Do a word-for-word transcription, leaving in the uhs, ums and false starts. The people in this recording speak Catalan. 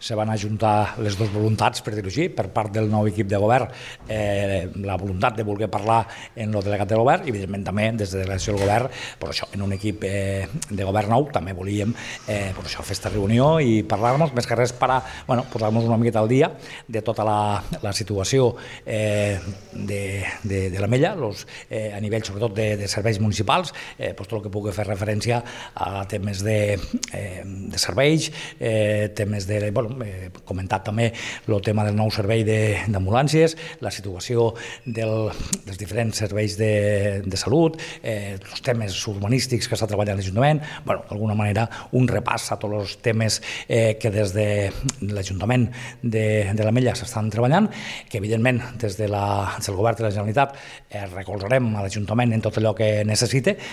se van ajuntar les dues voluntats, per dir-ho així, per part del nou equip de govern, eh, la voluntat de voler parlar en el delegat del govern i, evidentment, també des de la delegació del govern, per això, en un equip eh, de govern nou, també volíem eh, per això, fer aquesta reunió i parlar-nos, més que res per a bueno, posar-nos una miqueta al dia de tota la, la situació eh, de, de, de l'Ametlla, los, eh, a nivell sobretot de, de serveis municipals, eh, pues, tot el que pugui fer referència a temes de, eh, de serveis, eh, temes de, bueno, he comentat també el tema del nou servei d'ambulàncies, la situació del, dels diferents serveis de, de salut, eh, els temes urbanístics que està treballant l'Ajuntament, bueno, d'alguna manera un repàs a tots els temes eh, que des de l'Ajuntament de, de l'Ametlla s'estan treballant, que evidentment des de la, des del govern de la Generalitat eh, recolzarem a l'Ajuntament en tot allò que necessite,